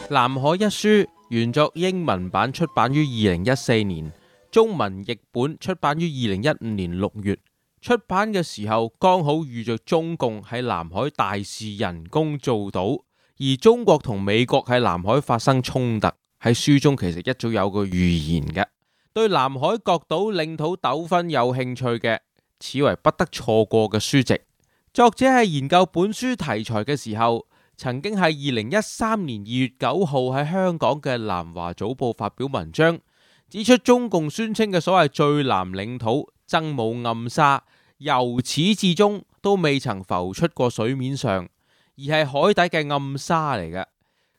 南海一書原作英文版出版於2014年，中文譯本出版於2015年6月。出版嘅時候剛好遇着中共喺南海大試人工造島，而中國同美國喺南海發生衝突。喺書中其實一早有個預言嘅，對南海各島領土糾紛有興趣嘅，此為不得錯過嘅書籍。作者喺研究本書題材嘅時候，曾經喺2013年2月9號喺香港嘅南華早報發表文章，指出中共宣稱嘅所謂最南領土曾母暗沙，由始至終都未曾浮出過水面上，而係海底嘅暗沙嚟嘅，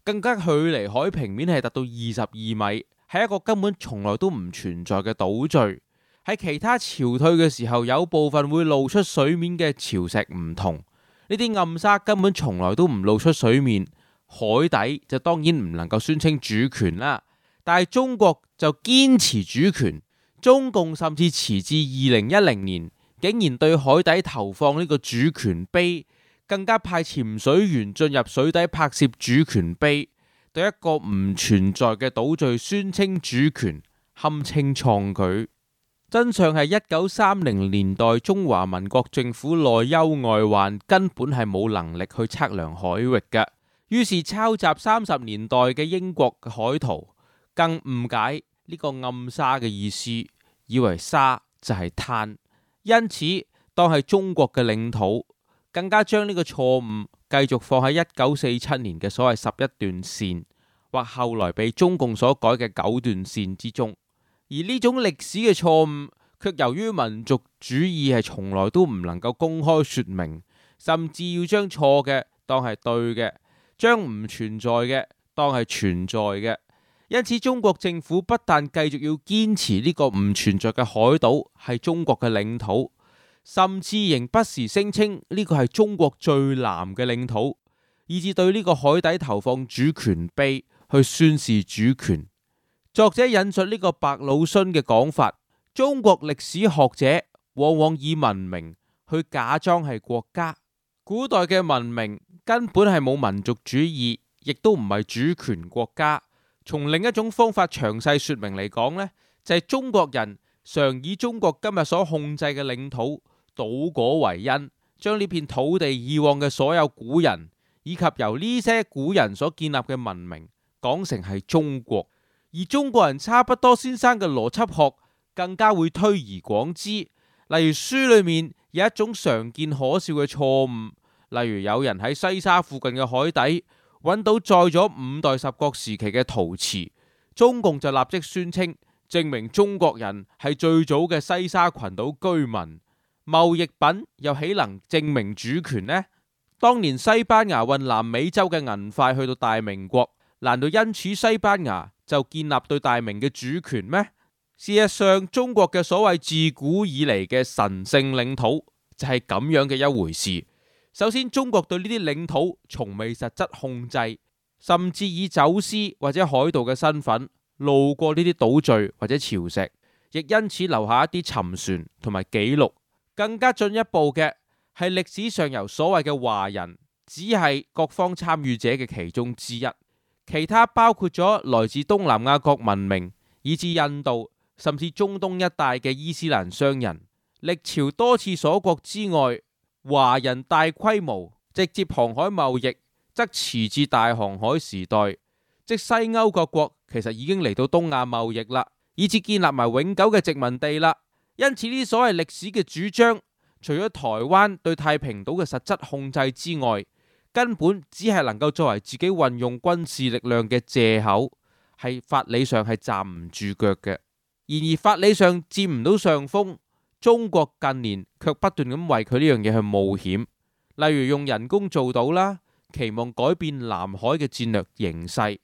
更加距離海平面係達到22米，係一個根本從來都唔存在嘅島嶼。喺其他潮退嘅時候，有部分會露出水面嘅潮石唔同，呢啲暗沙根本從來都唔露出水面，海底就當然唔能夠宣稱主權啦。但係中國就堅持主權，中共甚至遲至2010年，竟然對海底投放呢個主權碑，更加派潛水員進入水底拍攝主權碑，對一個唔存在嘅島嶼宣稱主權，堪稱創舉。真相係1930年代中華民國政府內憂外患，根本係冇能力去測量海域嘅，於是抄襲30年代嘅英國嘅海圖，更誤解呢個暗沙嘅意思，以為沙就係灘，因此當係中國嘅領土，更加將呢個錯誤繼續放喺1947年嘅所謂11段線，或後來被中共所改嘅9段線之中。而呢種歷史嘅錯誤，卻由於民族主義係從來都唔能夠公開說明，甚至要將錯嘅當係對嘅，將唔存在嘅當係存在嘅。因此中國政府不但繼續要堅持呢個唔存在嘅海島係中國嘅領土，甚至仍不時聲稱呢個係中國最南嘅領土，以至對呢個海底投放主權碑去宣示主權。作者引述呢個白魯遜嘅講法，中國歷史學者往往以文明去假裝係國家。古代嘅文明根本係冇民族主義，亦都唔係主權國家。從另一種方法詳細說明嚟講呢，就係中國人常以中國今日所控制嘅領土島國為因，將呢片土地以往嘅所有古人，以及由呢些古人所建立嘅文明講成係中國。而中國人差不多先生嘅邏輯學更加會推而廣之，例如書裏面有一種常見可笑嘅錯誤，例如有人喺西沙附近嘅海底揾到載咗5代十國時期嘅陶瓷，中共就立即宣稱證明中國人係最早嘅西沙群島居民。貿易品又豈能證明主權呢？當年西班牙運南美洲嘅銀塊去到大明國，難道因此西班牙就建立對大明嘅主權咩？事實上，中國嘅所謂自古以嚟嘅神聖領土就係咁樣嘅一回事。首先，中國對呢啲領土從未實質控制，甚至以走私或者海盜嘅身份路過呢啲島嶼或者潮石，亦因此留下一啲沉船同埋記錄。更加進一步嘅係歷史上由所謂嘅華人，只係各方參與者嘅其中之一。其他包括咗來自東南亞各文明，以至印度，甚至中東一帶嘅伊斯蘭商人，歷朝多次鎖國之外，華人大規模直接航海貿易，則遲至大航海時代，即西歐各國其實已經嚟到東亞貿易啦，以至建立埋永久嘅殖民地啦。因此呢所謂歷史嘅主張，除咗台灣對太平島嘅實質控制之外，根本只係能夠作為自己運用軍事力量嘅借口，係法理上係站唔住腳嘅。然而法理上佔唔到上風，中國近年卻不斷咁為佢呢樣嘢去冒險，例如用人工造島啦，期望改變南海嘅戰略形勢。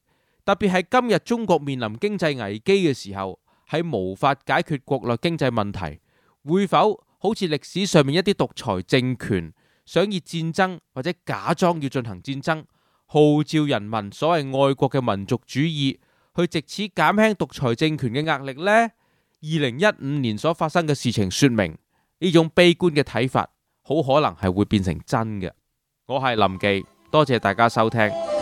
特別係今日中國面臨經濟危機嘅時候，喺無法解決國內經濟問題，會否好似歷史上面一啲獨裁政權想以戰爭或者假裝要進行戰爭，號召人民所謂愛國嘅民族主義，去藉此減輕獨裁政權嘅壓力呢？2015年所發生嘅事情說明，呢種悲觀嘅睇法好可能係會變成真嘅。我係林忌，多謝大家收聽。